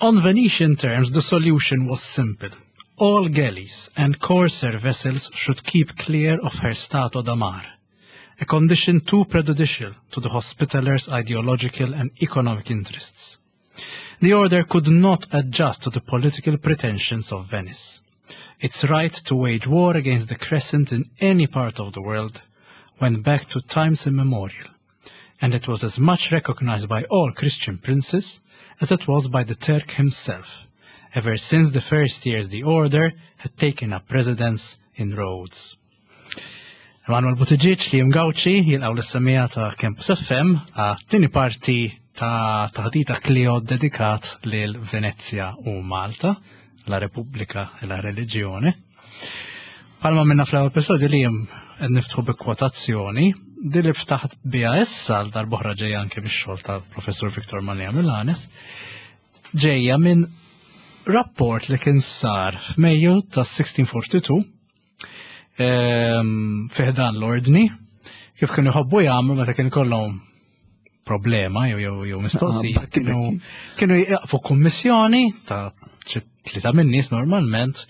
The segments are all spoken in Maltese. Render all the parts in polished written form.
On Venetian terms, the solution was simple. All galleys and corsair vessels should keep clear of her stato da mar, a condition too prejudicial to the Hospitallers' ideological and economic interests. The order could not adjust to the political pretensions of Venice. Its right to wage war against the Crescent in any part of the world went back to times immemorial, and it was as much recognized by all Christian princes as it was by the Turk himself, ever since the first years the order had taken up residence in Rhodes. Emanuel Buttigieg li Gauci jilqaw l-semija ta' Campus FM għat-tieni parti ta' taħdita Clio dedikat lil Venezia u Malta, la Repubblika e la Religione. Palma minna fl-ewwel episodju li jem niftħu bi kwotazzjoni, di li ftaħt biha issa l darbohra ġejja anke bix-xogħol tal-Professur Victor Mallia Milanes, ġejja minn rapport li kien sar f'Mejju ta' 1642 ehm, fiħdan l-ordni kif kienu jħobbu jagħmlu meta kien kollhom problema jew jew jew mistoqsija ah, kienu kienu jaqfu kummissjoni ta' tlieta minn nies normalment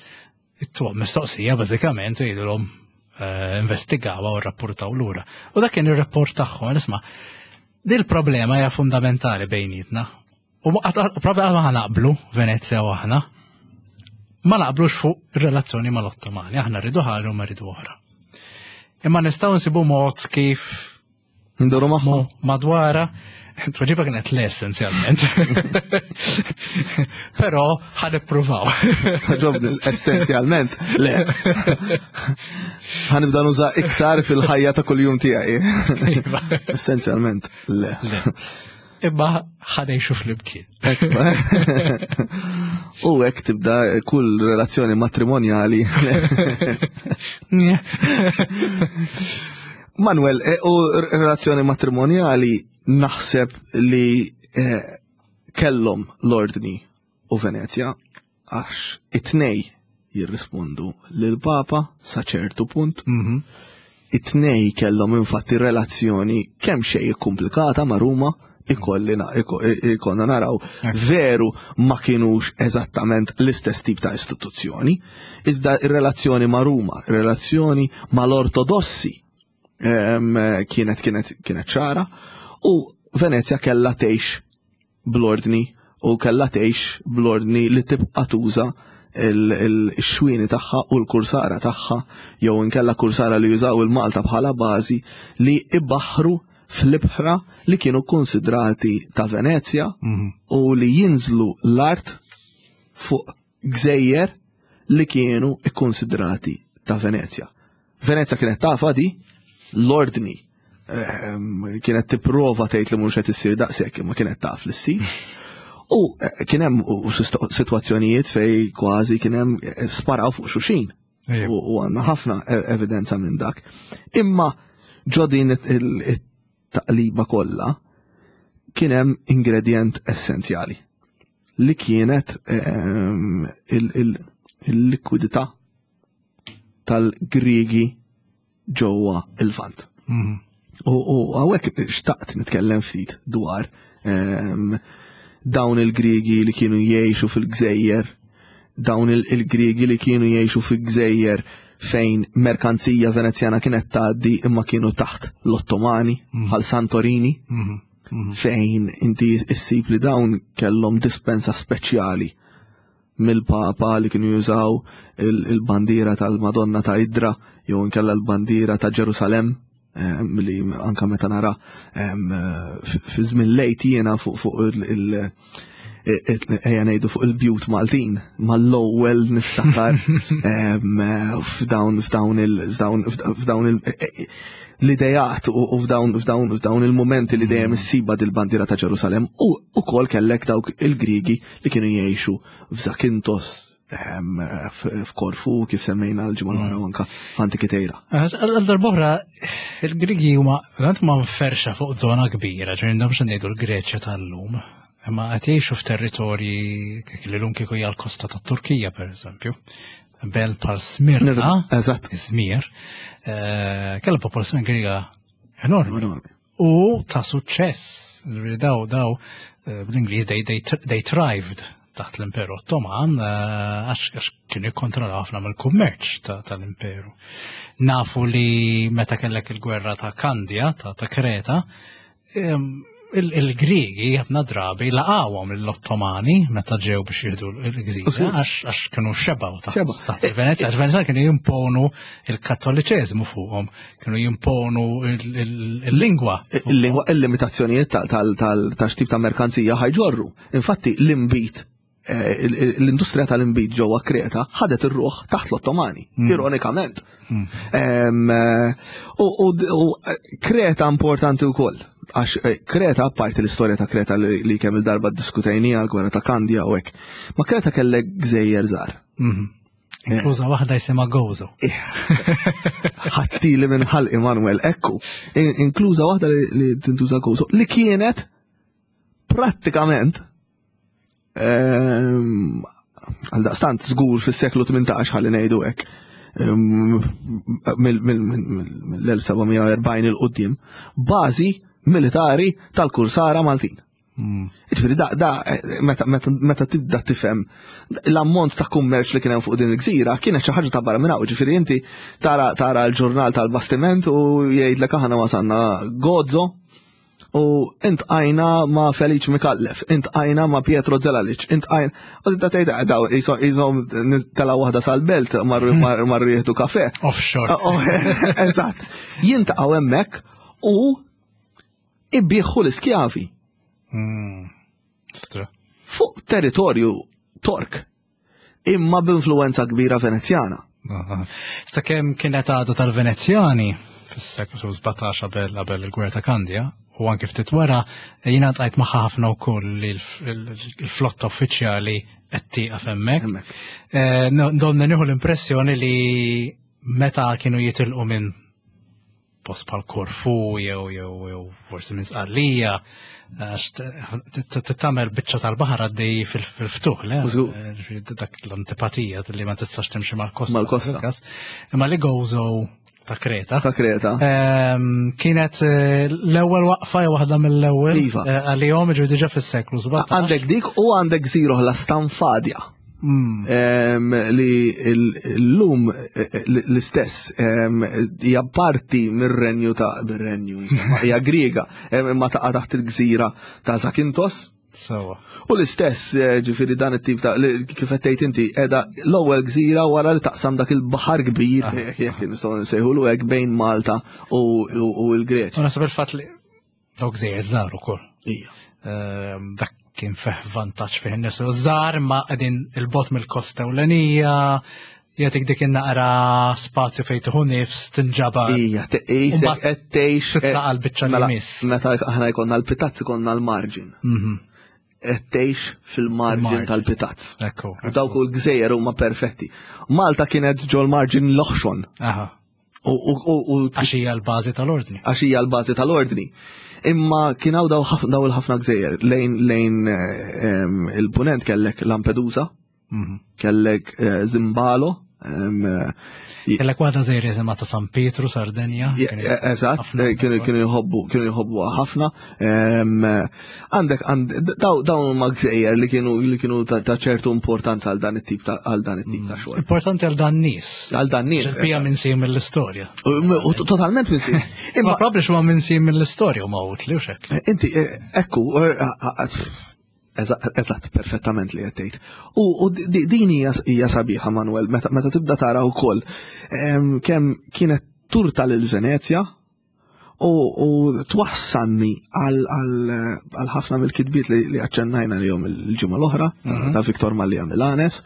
it-tuq mistoqsija bażikament u jgħidulhom eh, investigawa u rrapportaw lura. U dak kien ir-rapport tagħhom, isma' dil problema hija fundamentali bejnietna. U propju ma naqblu Venezia u aħna. Ma naqblux fuq ir-relazzjoni mal-Ottomani, aħna rridu ħaġa u ma rridu oħra. Imma nistgħu nsibu mod kif Nduru magħhom. Madwara, tweġiba kienet le essenzjalment. Però ħan ippruvaw. Ġobni, essenzjalment le. Ħan nibda nuża iktar fil-ħajja ta' kuljum tiegħi. Iva. Essenzjalment le. Imma ħanejxu fl-imkien. U hekk tibda kull relazzjoni matrimonjali. Manuel, e, u relazzjoni matrimonjali naħseb li e, kellhom l-ordni u Venezja għax it-tnej jirrispondu lil papa sa ċertu punt. Mhm. It-tnej kellhom infatti relazzjoni kemm xejn komplikata ma' Ruma ikollina ikonna naraw veru ma kienux eżattament l-istess tip ta' istituzzjoni, iżda ir-relazzjoni ma' Ruma, ir-relazzjoni mal-Ortodossi kienet kienet kienet ċara u Venezja kellha tgħix bl-ordni u kellha tgħix bl-ordni li tibqa' tuża il-xwieni tagħha u l-kursara tagħha jew inkella kursara li jużaw il-Malta bħala bażi li ibaħħru fl-ibħra li kienu konsidrati ta' Venezja mhm. u li jinżlu l-art fuq gżejjer li kienu ikkonsidrati ta' Venezja. Venezja kienet tafa di l-ordni ehm, kienet tipprova tgħid li mhux qed issir daqshekk imma kienet taf li ssir. U eh, kien hemm sitwazzjonijiet fej kważi kien hemm eh, sparaw fuq xuxin. U għandna ħafna e-, evidenza minn dak. Imma ġodin it-taqliba kollha kien hemm ingredient essenzjali li kienet ehm, il-likwidità tal-Griegi ġewwa il-Lvant. Mhm. U hawnhekk xtaqt nitkellem ftit dwar ehm, dawn il-Griegi li kienu jgħixu fil-gżejjer, dawn il-Griegi li kienu jgħixu fil-gżejjer fejn merkanzija venezjana kienet tgħaddi imma kienu taħt l-Ottomani mhm. bħal Santorini mhm. fejn inti issib li dawn kellhom dispensa speċjali mill-Papa li kienu jużaw il-bandiera tal-Madonna ta' Idra jew inkella l-bandiera ta' Ġerusalem li anka meta nara fi żmien lejt jiena fuq fuq il- ejja ngħidu fuq il-bjut Maltin mal-ewwel niftakar f'dawn f'dawn il f'dawn il l-idejat u f'dawn f'dawn f'dawn il-momenti li dejjem issiba dil-bandiera ta' Ġerusalem u ukoll kellek dawk il-Grigi li kienu jgħixu f'Zakintos, ehm, f'Korfu, kif semmejna l-ġimgħa l-oħra mm. anka f'Antikitejra. Għal darb'oħra, il-Grigi huma verament ma mferxa fuq żona kbira, ġifieri m'hemmx ngħidu l-Greċja tal-lum. Imma qed jgħixu f'territorji li lum kieku hija l-kosta tat-Turkija pereżempju. Bel bħal Smirna, eżatt, Izmir, eh, kellha popolazzjoni Griega enormi. U ta' suċċess. Daw, daw, eh, bl-Ingliż, they, they, they thrived. taħt l-Imperu Ottoman eh, għax kienu jikkontrollaw ħafna mill-kummerċ tal-Imperu. Nafu li meta kellek il-gwerra ta' Kandja, ta' Kreta, il-Griegi ħafna drabi laqawhom l-Ottomani meta ġew biex jieħdu l-gżira għax kienu xebaw taħt il-Venezja. Għax Venezja kienu jimponu il-Kattoliċeżmu fuqhom, kienu jimponu il-lingwa. Il-lingwa, il-limitazzjonijiet tal-xtip ta' merkanzija ħajġorru. Infatti l-imbit Eh, l-industrija tal-imbid ġewwa Kreta ħadet ir-ruħ taħt l-Ottomani, hmm. ironikament. Hmm. Eh, u eh, Kreta importanti wkoll, għax Kreta, apparti l-istorja ta' Kreta li kemm il-darba diskutejnija l-gwerra ta' Kandja u hekk, ma Kreta kellek gżejjer żgħar. Hmm. Inkluża waħda jisimha Gozo. Ħattili minn ħalq Emanuel, ekku. Inkluża waħda li tintuża Gozo, li kienet prattikament Ehm, għal daqstant żgur fis-seklu 18 ħalli ngħidu hekk ehm, mill-1740 il-qudiem bażi militari tal-kursara Maltin. Hmm. Ġifieri da, da meta, meta, meta tibda tifhem l-ammont ta' kummerċ li kien hemm fuq din il-gżira kienet xi ħaġa ta' barra minn hawn. Ġifieri inti tara tara l-ġurnal tal-bastiment u jgħidlek aħna wasalna Gozo U intqajna ma' Feliċ Mikallef, intqajna ma' Pietro Zelalic, intqajna. U tibda tgħid ah, daw jisom tela waħda sal-belt marru hmm. marru jieħdu kafe. Offshore. Oh, oh, eżatt. Jintaqgħu hemmhekk u ibieħu l-iskjavi. Hmm. Stra. Fuq territorju Tork. Imma b'influwenza kbira Venezjana. Sakemm kienet għada tal-Venezjani fis-seklu 17 qabel qabel il-Gwerra ta' Kandja u anke ftit wara jiena tqajt magħha ħafna wkoll li l-flotta uffiċjali qed tieqaf hemmhekk. Eh, donna nieħu l-impressjoni li meta kienu jitilqu minn post bħal Korfu jew jew jew forsi minn Sqallija għax tagħmel biċċa tal-baħar għaddej fil-ftuħ, le? Eh, dak l-antipatija li ma tistax timxi mal-kosta. Mal-kosta. Imma li Gozo ta' Kreta. Ta' Kreta. Ehm, kienet eh, l-ewwel waqfa jew waħda mill-ewwel. Iva. Eh, għalihom ġifieri diġà fis-seklu 17. Għandek dik u għandek gżira oħra Stanfadja. Mm. Li l-lum eh, eh, l-istess hija parti mir-renju ta' mir-renju, hija Griega, imma taqa' taħt il-gżira ta' Zakintos. Sewa. U l-istess eh, ġifieri dan it-tip ta' kif qed tgħid inti qiegħda l-ewwel gżira wara li taqsam dak il-baħar kbir ah. jekk nistgħu nsejħulu hekk bejn Malta u l-Greċja. U naħseb il-fatt li Dawk żejjer żgħar ukoll. Ija. Ehm, dak kien fih vantaġġ fih nies żgħar ma qegħdin il-bot mill-kosta ewlenija, jagħtik dik naqra spazju fejn tieħu nifs tinġabar. Ija, tqisek qed tgħix. Titlaqa' l-biċċa li mela, miss. Meta aħna jkollna l-pitazz ikollna l-marġin. Mhm. Qed tgħix fil-marġin tal-pitazz. Ekku. U dawk il-gżejjer huma perfetti. Malta kienet ġol-marġin l-oħxon. Aha. Għax hija l-bażi tal-ordni. Għax hija l-bażi tal-ordni. Imma kien hawn daw il-ħafna gżejjer lejn lejn eh, il-punent kellek Lampedusa, mhm. kellek eh, Zimbalo, eh, Kellek waħda żejr jisimha ta' San Pietru, Sardenja. Eżatt, kienu jħobbu, kienu jħobbu ħafna. Għandek, dawn huma gżejjer li kienu li kienu ta' ċertu importanza għal dan it-tip ta' għal dan it-tip ta' mm. xogħol. Importanti għal dan nies. Għal dan nies. Bija minn sim mill-istorja. U totalment minn sim. Imma probabbli x'huwa minn sim mill-istorja u ma utli u xekk. Eh, inti, eh, ekku, eh, Eżatt, perfettament li qed tgħid. U din hija sabiħa Manuel, meta tibda tara wkoll kemm kienet turta lil Venezja u twassalni għal ħafna mill-kitbiet li aċċennajna li jom il-ġimgħa l-oħra mhm. ta' Viktor Mallia Milanes.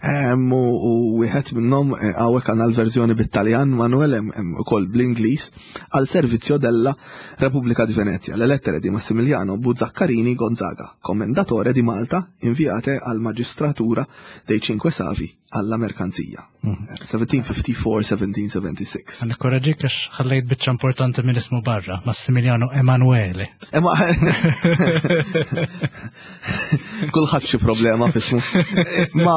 U wieħed minnhom eh, hawnhekk għandna l-verżjoni bit-Taljan Manuel hemm ukoll bl-Ingliż għal servizio della Repubblica di Venezia, le lettere di Massimiliano Buzzaccarini Gonzaga, commendatore di Malta, inviate al magistratura dei Cinque Savi alla merkanzija. 1754-1776. Għan korraġik għax ħallejt biċċa importanti minn ismu barra, Massimiliano Emanuele. Ema. Kulħadd xi problema f'ismu. Ma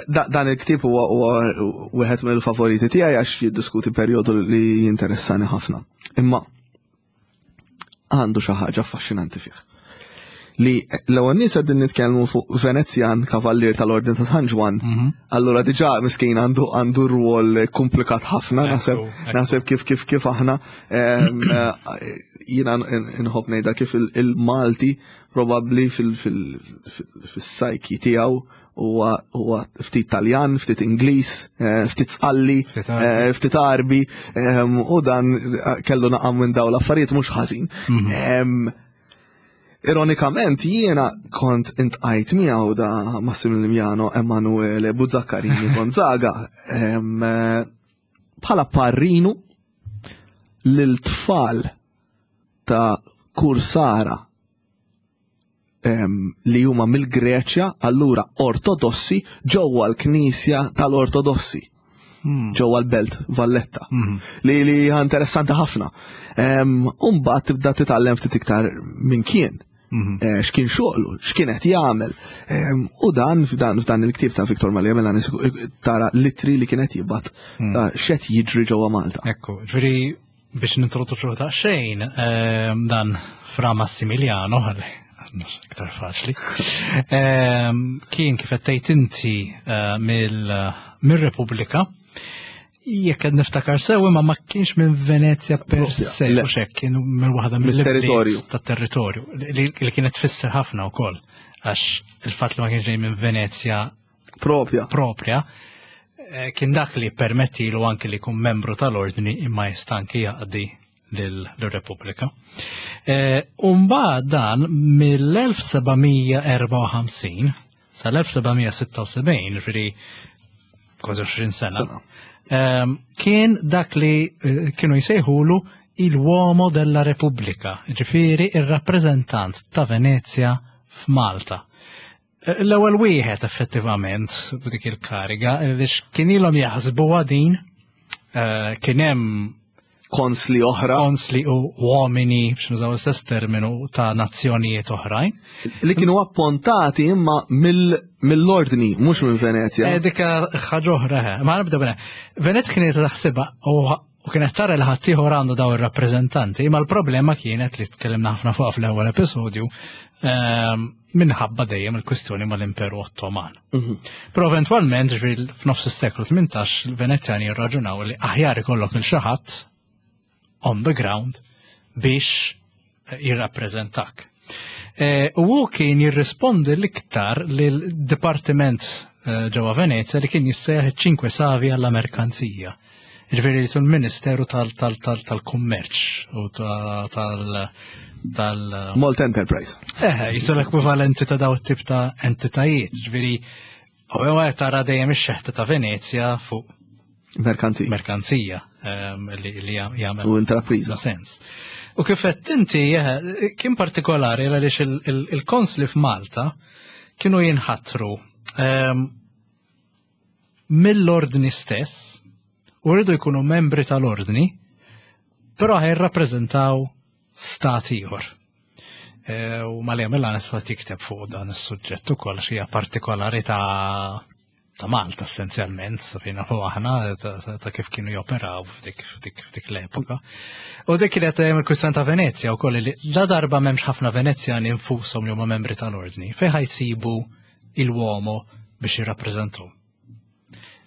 dan il-ktieb huwa wieħed mill-favoriti tiegħi għax jiddiskuti perjodu li jinteressani ħafna. Imma għandu xi ħaġa affaxxinanti fih. Li l-ewwel nies qegħdin nitkellmu fuq Venezjan kavallier tal-Ordni ta' San Ġwann. Mhm. Allura diġà miskin għandu għandu rwol komplikat ħafna naħseb naħseb kif kif kif aħna eh, jiena nħobb ngħidha kif il-Malti probabbli fil-sajki tiegħu huwa ftit Taljan, ftit Ingliż, eh, ftit Sqalli, eh, ftit Arbi, u dan kellu naqam minn dawn l-affarijiet mhux ħażin. Mhm. Ironikament jiena kont intqajt miegħu da Massimiliano Emanuele Buzzaccarini Gonzaga bħala parrinu lil tfal ta' kursara li huma mill-Greċja, allura ortodossi ġewwa l-Knisja tal-Ortodossi. Hmm. ġewwa l-belt Valletta. Hmm. Li li interessanti ħafna. Umbagħad tibda titgħallem ftit iktar minn kien. Hmm. Eh, x'kien xogħlu, x'kien qed jagħmel. U dan f'dan f'dan il-ktieb ta' Viktor Malja Melani tara litri li kien qed jibgħat ta' x'qed jiġri ġewwa Malta. Ekku, ġifieri Biex nintroduċu ta' xejn, ehm, dan Fra Massimiliano, għalli, iktar faċli, ehm, kien kif qed inti eh, mill-Repubblika, jekk qed niftakar sew imma ma kienx minn Venezia per se, u xek, kien minn waħda mill-territorju. Tat-territorju, li kienet tfisser ħafna wkoll, għax il-fatt li ma kienx ġej minn Venezia Propja. Propja. Eh, kien dak li permettilu anki li jkun membru tal-ordni imma jista' anki jaqdi lill-Repubblika. Eh, Umba dan mill-1754 sal-1776, ġifieri kważi 20 sena, ehm, kien dak li eh, kienu jsejħulu il-uomo della Repubblica, ġifieri il-rappreżentant ta' Venezia f'Malta. L-ewwel wieħed effettivament b'dik il-kariga għaliex kien ilhom jaħsbuha din eh, kien hemm konsli oħra. Konsli u uomini, biex nużaw l-istess terminu, ta' nazzjonijiet oħrajn. Li kienu appontati imma mill-ordni, mhux minn Venezja. Eh, dik ħaġa oħra, eh. ma nibda bena. Venezja kienet taħsibha u U kienet tara li ħaddieħor għandu daw ir-rappreżentanti, imma l-problema kienet li tkellimna ħafna fuq fl-ewwel episodju ehm, minħabba dejjem il-kwistjoni mal-Imperu Ottoman. Mhm. Però eventwalment, ġifieri f'nofs is-seklu 18, il-Venezjani jirraġunaw li aħjar ikollok il xi ħadd on the ground biex jirrappreżentak. E, u hu kien jirrispondi l-iktar lil-dipartiment e, ġewwa Venezja li kien jissejjaħ iċ-Cinque Savi alla Merkanzija. Ġifieri li sul-Ministeru tal-Kummerċ u tal- tal Malt Enterprise. Eh, jisu l-ekwivalenti ta' daw tip ta' entitajiet. Ġifieri, u għu tara dejjem ix-xeħta ta' Venezja fuq Merkanzija. Merkanzija ehm, li jagħmel. U intrapriża. Sens. U kif qed inti eh, kien partikolari għaliex il-konsli f'Malta kienu jinħatru ehm, mill-ordni stess u rridu jkunu membri tal-ordni, però ħajrrappreżentaw stat ieħor. Eh, u Malja Milan fatt jikteb fuq dan is-suġġett ukoll xi partikolarità ta' Malta essenzjalment, safina u aħna ta' kif kienu joperaw f'dik l-epoka. U dik kienet eh, il-kwistjoni ta' Venezja wkoll li la darba m'hemmx ħafna Venezjani infushom li huma membri tal-ordni, fejn ħajsibu il-uomo biex jirrappreżentaw.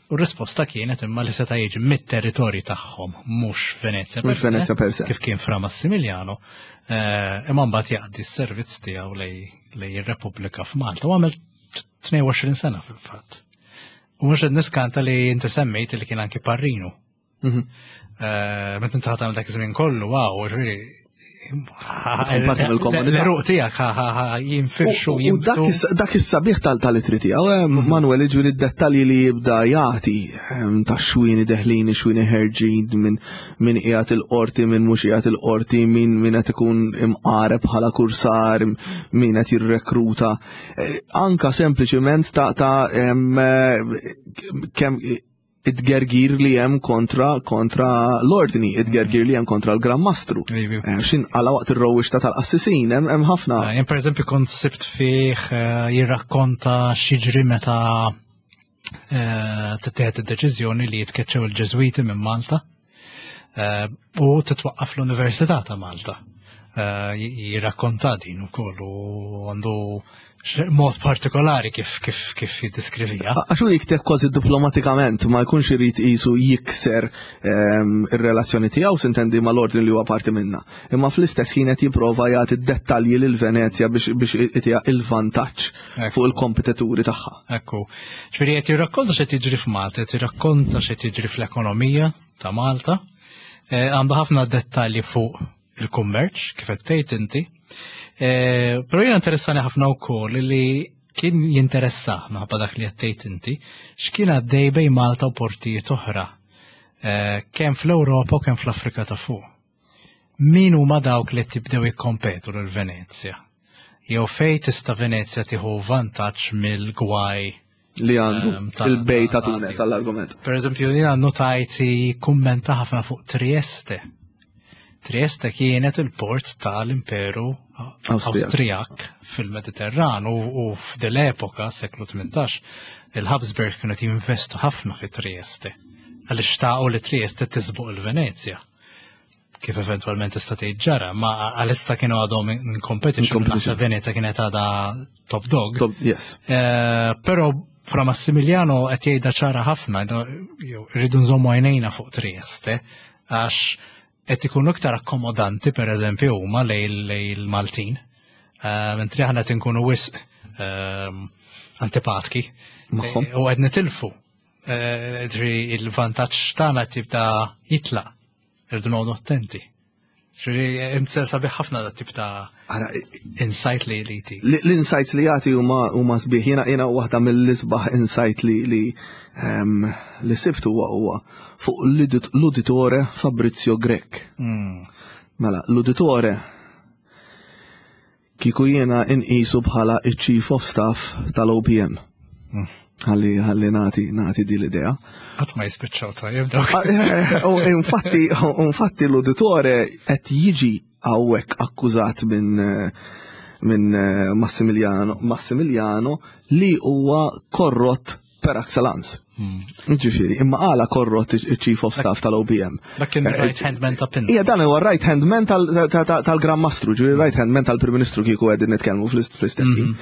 U r-risposta kienet imma li seta' jiġi mit-territorji tagħhom, mhux Venezja per se, Venezja per se. Kif kien Fra Massimiliano, eh, imma mbagħad jaqdi s-servizz tiegħu lej ir-Repubblika f'Malta u għamel 22 sena fil-fatt. U mhux qed niskanta li inti semmejt li kien anki parrinu. Mhm. Eh, meta inti ħadd dak iż-żmien kollu, wow, ġifieri l-eruq tiegħek jinfirxu. U dak is-sabiħ tal-itri tiegħu, eh, mhm. Manuel ġifieri d-dettalji li jibda jagħti eh, ta' xwini deħlin, xwini ħerġin minn min qiegħed il-qorti, min mhux qiegħed il-qorti, min min qed ikun imqareb bħala kursar, min qed jirrekruta. Eh, anka sempliċiment ta' ta' kemm it-gergir li hemm kontra kontra l-ordni, it-gergir li hemm kontra l-Gran Mastru. Eh, xin għala waqt ir-rowixta tal-qassisin, hemm ħafna. Eh, jien pereżempju kont sibt fih eh, jirrakkonta xiġri meta tittieħed id-deċiżjoni li jitkeċċew il-Ġeżwiti minn Malta u titwaqqaf l-Università ta' Malta. Jirrakkonta din ukoll u għandu mod partikolari kif kif kif jiddiskrivija. Għax hu jikteb kważi diplomatikament ma jkunx irid qisu jikser ir-relazzjoni tiegħu sintendi mal-ordni li huwa parti minna. Imma fl-istess ħin qed jipprova jagħti dettalji lil Venezja biex biex itiha il-vantaġġ fuq il-kompetituri tagħha. Ekku. Ġifieri qed jirrakkonta x'qed jiġri f'Malta, qed jirrakkonta x'qed jiġri fl-ekonomija ta' Malta. Għandu ħafna dettalji fuq il-kummerċ, kif qed tgħid inti. Però jiena interessani ħafna wkoll li kien jinteressah minħabba dak li qed tgħid inti, x'kien għaddej bejn Malta u portijiet oħra, kemm fl-Ewropa u kemm fl-Afrika ta' fuq. Min huma dawk li tibdew jikkompetu lil Venezja? Jew fejn tista' Venezja tieħu vantaġġ mill-gwaj li għandu il-bej ta' Tunes għall-argument. Per eżempju, jina notajt kummenta ħafna fuq Trieste. Trieste kienet il-port tal-Imperu Awstrijak fil-Mediterran u f'dil-epoka, seklu 18, il-Habsburg kienu jinvestu ħafna fi Trieste. Għaliex xtaqu li Trieste tisbuq il-Venezja. Kif eventwalment tista' tgħid ġara, ma għalissa kienu għadhom in competition, naħseb Venezia kienet għadha top dog. Top, yes. Però Fra Massimiliano qed jgħidha ċara ħafna, rridu nżommu għajnejna fuq Trieste, għax qed ikunu iktar akkomodanti pereżempju huma lej il-Maltin. Mentri aħna qed inkunu wisq antipatki. Magħhom. U qed nitilfu. Il-vantaġġ tagħna qed jibda jitlaq. Irridu noqogħdu attenti. Ġifieri inti sabiħ ħafna dat tip ta' insight li li ti. L-insights li jagħti huma sbieħ. Jiena jiena waħda mill-isbaħ insight li li li sibt huwa huwa fuq l-uditore Fabrizio Grech. Mela, l-uditore Kieku jiena inqisu bħala iċ-Chief of Staff tal-OPM. Ħalli ħalli nagħti nagħti di l-idea. Qatt ma jispiċċaw tajjeb dawk. Ah, eh, infatti infatti l-uditore qed jiġi hawnhekk akkużat minn minn eh, Massimiliano Massimiliano li huwa korrott per excellence. Ġifieri, imma għala korrott il-Chief of Staff tal-OPM. Dak kien eh, right hand man ta' Pinto. Ija, dan huwa right hand man tal-Gran Mastru, ġifieri right hand man tal-Prim Ministru kieku qegħdin nitkellmu fl-istess ħin.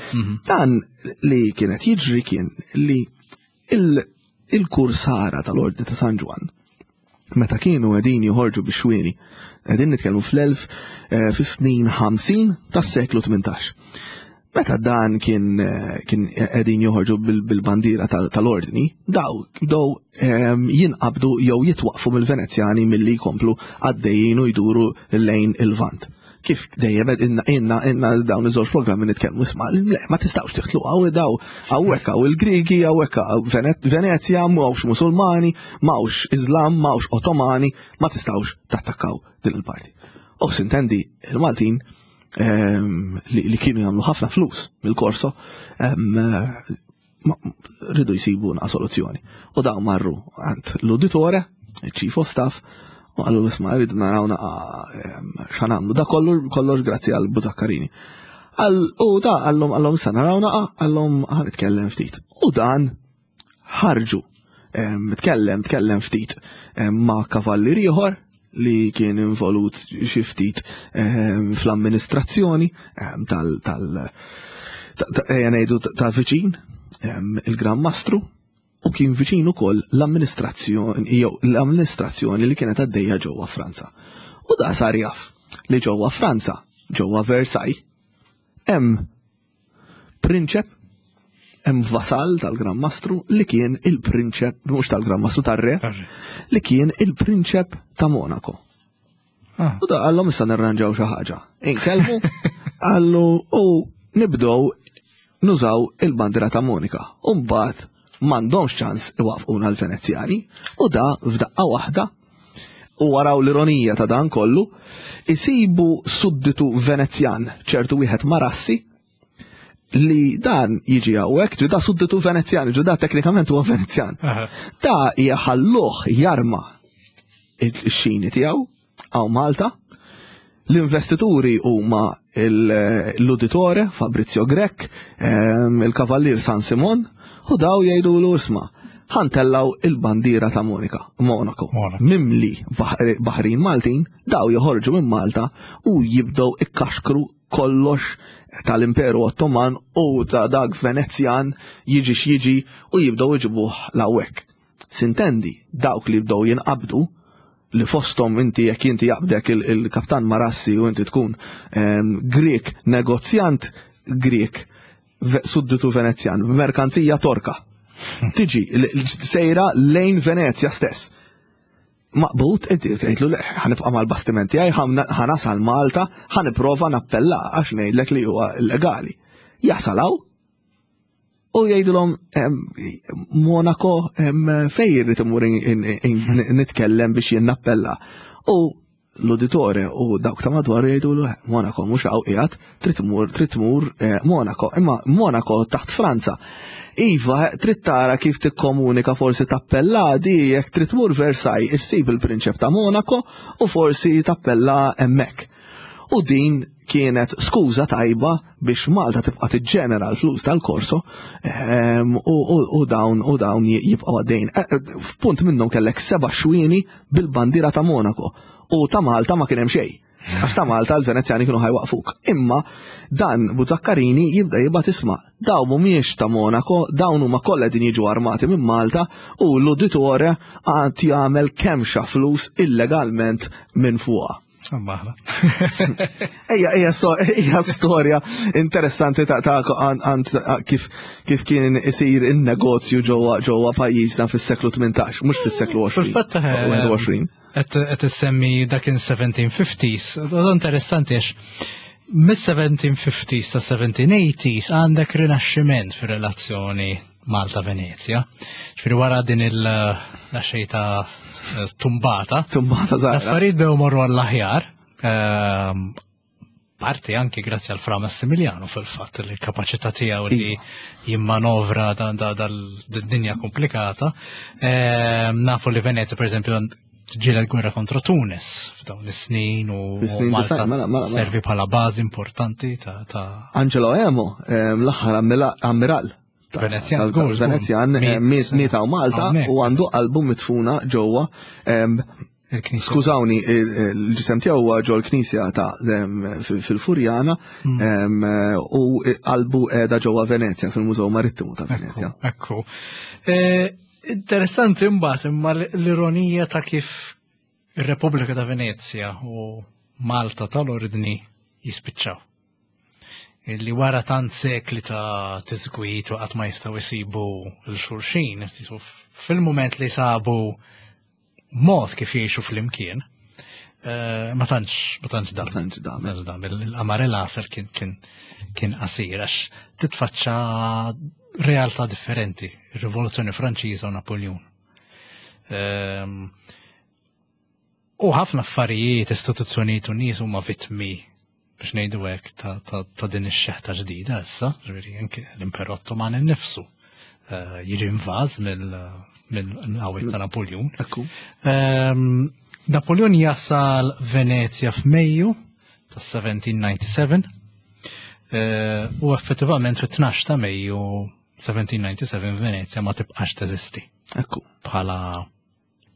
Dan li kienet jiġri kien li il-kursara tal-Ordni ta' San Ġwann meta kienu qegħdin joħorġu bix-xwieni, qegħdin nitkellmu fl-elf eh, fis-snin 50 tas-seklu 18. Meta dan kien eh, kien qegħdin joħorġu bil-bandiera tal-ordni, daw bdew ehm, jinqabdu jew jitwaqfu mill-Venezjani milli jkomplu għaddejjin u jduru lejn il-Vant. Kif dejjem inna inna inna dawn iż-żewġ programmi nitkellmu isma' le ma tistgħux tiħtlu hawn daw hawnhekk hawn il-Griegi hawnhekk hawn Venezja m'hawnx Musulmani, m'hawnx Iżlam, m'hawnx Ottomani, ma tistgħux tattakkaw din il-parti. U sintendi il-Maltin ehm, li kienu jagħmlu ħafna flus mill-korso ehm, rridu jsibu na soluzzjoni. U daw marru għand l-uditore, il-chief of staff, u għallu l-isma rridu naraw naqa xanamlu. Da kollu kollox grazzi għal Buzakkarini. U da għallum għallum sa naraw naqa għallum ħanitkellem ftit. U dan ħarġu tkellem tkellem ftit ma' kavallier ieħor li kien involut xi ftit fl-amministrazzjoni tal tal ejja ngħidu ta' viċin il-Gran Mastru u kien viċin ukoll l-amministrazzjoni jew l-amministrazzjoni li kienet għaddejja ġewwa Franza. U da sar jaf li ġewwa Franza, ġewwa Versailles, hemm prinċep hemm vasall tal-Gran Mastru li kien il-prinċep, mhux tal-Gran Mastru tar-re, li kien il-prinċep ta' Monaco. Ah. U da għallhom issa nirranġaw xi ħaġa. Inkellmu għallu u nibdew nużaw il-bandira ta' Monika. U mbagħad m'għandhomx ċans iwaqfquna l-Venezjani u da f'daqqa waħda u waraw l-ironija ta' dan kollu, isibu sudditu Venezjan, ċertu wieħed Marassi, li dan jiġi hawnhekk, ġu da sudditu Venezjan, ġu da teknikament huwa Venezjan. Da jħalluh jarma il-xini tiegħu hawn Malta. L-investituri huma l-uditore Fabrizio Grech, il-Kavallier San Simon, u daw jgħidu l isma' Ħa ntellgħu il-bandiera ta' Monika, Monaco. Mimli baħrin Maltin, daw joħorġu minn Malta u jibdew ikkaxkru kollox tal-Imperu Ottoman u ta' dak Venezjan jiġi x'jiġi u jibdew iġibuh l'hawnhekk. Sintendi, dawk li jibdew jinqabdu li fosthom inti jekk inti jaqbdek il-kaptan Marassi u inti tkun Grek negozjant Grek sudditu Venezjan, merkanzija Torka. Tiġi sejra lejn Venezja stess. Maqbud, inti tgħidlu le, ħa nibqa' mal-bastiment tiegħi, ħa nasal Malta, ħa nipprova nappella għax ngħidlek li huwa illegali. Jasalaw u jgħidulhom Monaco fejn irrid imur nitkellem biex jien nappella. U l-uditore u dawk ta' madwar jgħidulu eh, Monaco mhux hawn qiegħed, trid tmur trid tmur eh, Monaco, imma Monaco taħt Franza. Iva, eh, trid tara kif tikkomunika forsi tappella di jekk trid tmur Versailles issib il-prinċep ta' Monaco u forsi tappella hemmhekk. U din kienet skuża tajba biex Malta tibqa' tiġġenera l-flus tal-korso ehm, u dawn u dawn jibqgħu għaddejn. Eh, eh, f'punt minnhom kellek seba' xwieni bil-bandiera ta' Monaco u ta' Malta ma kien hemm xejn. Għax ta' Malta l-Venezjani kienu ħajwaqfuk. Imma dan Buzzaccarini jibda jibgħat isma' dawn mhumiex ta' Monaco, dawn huma kollha din jiġu armati minn Malta u l-uditore għad jagħmel kemxa flus illegalment minn fuqha. Maħna. Ejja, ejja, ejja storja interessanti ta' ta' għand kif kif kien isir in-negozju ġewwa ġewwa pajjiżna fis-seklu 18, mhux fis-seklu 20. Fil-fatt 21. Qed issemmi dak in 1750s, interessanti għax mis-1750s ta' 1780s għandek rinaxximent fir-relazzjoni Malta-Venezja. Ġifieri wara din il-xejta tumbata. Tumbata zaħra. L-affarijiet bew morru għall-aħjar. Ehm, parti anki grazzi għal Fra Massimiliano fil-fatt li l-kapaċità tiegħu li iva. jimmanovra dan dinja komplikata. Ehm, nafu li Venezia pereżempju ġiela gwerra kontra Tunis f'dawn is-snin u Malta mela, mela, mela. servi bħala bażi importanti ta' Angelo Emo, ehm, l-aħħar ammiral Venezjan, Venezjan eh, miet hawn Malta u għandu qalbu mitfuna ġewwa Skużawni, il-ġisem tiegħu huwa ġol knisja ta' fil-Furjana hmm. u qalbu qiegħda ġewwa Venezja fil-Mużew Marittimu ta' Venezja. Ekku. Eh, interessanti imbagħad imma l-ironija ta' kif ir-Repubblika ta' Venezja u Malta tal-Ordni jispiċċaw. Illi wara tant sekli ta' tiżgwit u qatt ma jistgħu jsibu l-xulxin, fil-mument li sabu mod kif jgħixu flimkien, eh, ma tantx ma tantx dam. Tantx dam. Tantx dam. Il-qamar il-għasel kien kien kien qasir għax titfaċċa realtà differenti, ir-Rivoluzzjoni Franċiża u Napoleon. Ehm, u ħafna affarijiet, istituzzjonijiet u nies huma vittmi biex ngħidu hekk ta', ta, ta din ix-xeħta ġdida issa, ġifieri anke l-Imperu Ottoman innifsu eh, jiġi invaż mill-qawwiet ta' Napoleon. Ehm, Napoleon jasal Venezja f'Mejju ta' 1797 eh, u effettivament fit-12 ta' Mejju 1797 Venezja ma tibqax teżisti. Ekku. Bħala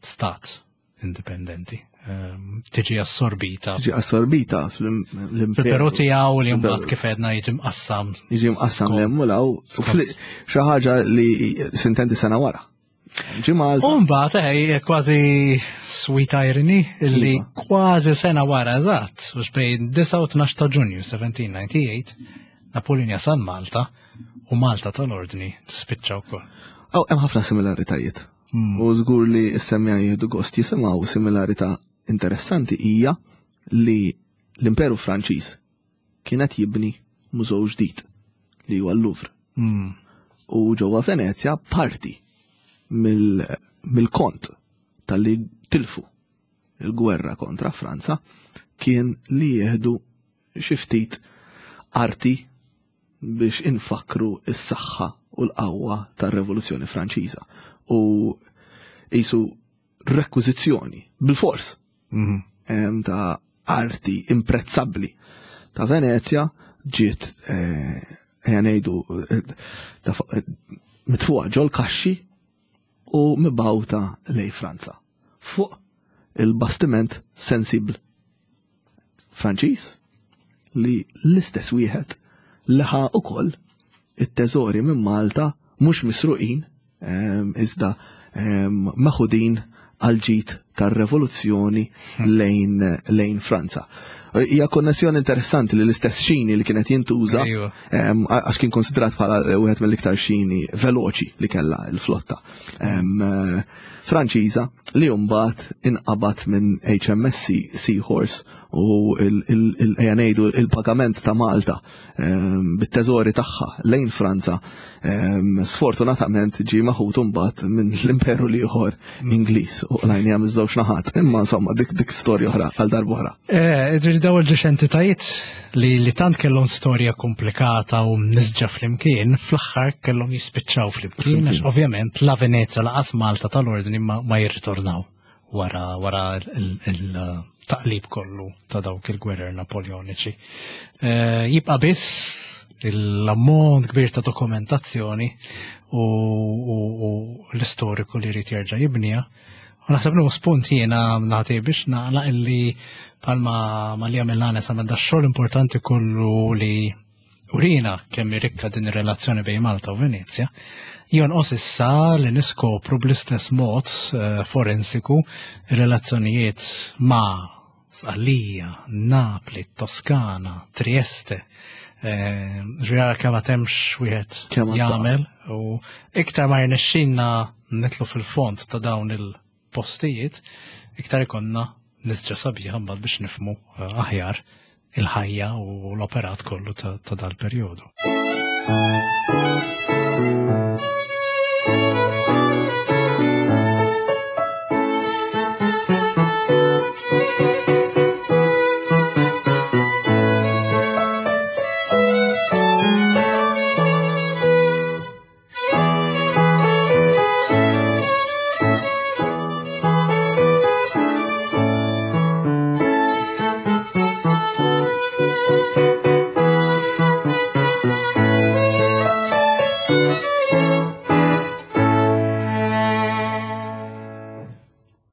stat indipendenti. Ehm, tiġi assorbita. Tiġi assorbita fl-imperu. Però tiegħu li mbagħad kif għedna jiġi mqassam. Jiġi mqassam l u law. Xi ħaġa li sintendi sena wara. Ġi Malta. U mbagħad eh, kważi sweet irony illi iva. kważi sena wara eżatt, biex bejn 9 u 12 ta' Ġunju 1798, Napoleon jasal Malta u Malta tal-Ordni tispiċċa wkoll. Aw, hemm ħafna similaritajiet. Hmm. U żgur li s-semmija jieħdu gost jisimgħu similarità interessanti hija li l-Imperu Franċiż kienet jibni mużew ġdid li huwa l-Louvre. Hmm. U ġewwa Venezja parti mill-kont tal-li tilfu il-gwerra kontra Franza kien li jieħdu xi ftit arti biex infakkru s-saħħa u l-qawwa tar-Revoluzzjoni Franċiża u qisu rekwiżizzjoni bil-fors mm -hmm. ta' arti imprezzabbli ta' Venezja ġiet eh, ejja ngħidu eh, eh, mitfuqa ġol kaxxi. u mibgħuta lejn Franza fuq il-bastiment Sensible Franċiż li l-istess wieħed li ħa ukoll it-teżori minn Malta mhux misruqin ehm, iżda ehm, meħudin għal ġid tar-revoluzzjoni hmm. lejn, lejn Franza. Hija konnessjoni interessanti li l-istess xini li kienet jintuża ehm, għax kien konsidrat bħala wieħed mill-iktar xini veloċi li kellha l-flotta. Franċiża li mbagħad inqabad minn HMSC Seahorse u ejja ngħidu il-pagament ta' Malta ehm, bit-teżori tagħha lejn Franza ehm, sfortunatament ġie maħut mbagħad minn l-imperu l-ieħor Ingliż u qlajni miż-żewġ naħat. Imma insomma dik dik storja oħra għal darba oħra. Eh, ġifieri dawn il-ġiex entitajiet li li tant kellhom storja komplikata u mnisġa flimkien, fl-aħħar kellhom jispiċċaw flimkien, għax ovvjament la Venezia laqas Malta tal-Ordni ma, ma jirritornaw wara wara il-taqlib kollu ta' dawk il-gwerer Napoleoniċi. Eh, jibqa' biss l-ammont kbir ta' dokumentazzjoni u, u, u l-istoriku li jrid jerġa' jibniha U naħseb nieħu spunt jiena nagħti biex naqlaq illi palma ma li għamilna nesa da xogħol importanti kollu li urina kemm rikka din ir-relazzjoni bejn Malta u Venezja, jonqos issa li niskopru bl-istess mod eh, forensiku relazzjonijiet ma' Sqallija, Napli, Toskana, Trieste. Eh, Ġvijara kemm temx wieħed jagħmel u iktar ma jirnexxinna nitlu fil-fond ta' dawn il-postijiet, iktar ikonna nisġa sabiħa mbagħad biex nifmu eh, aħjar il-ħajja u l-operat kollu ta' dal-perjodu.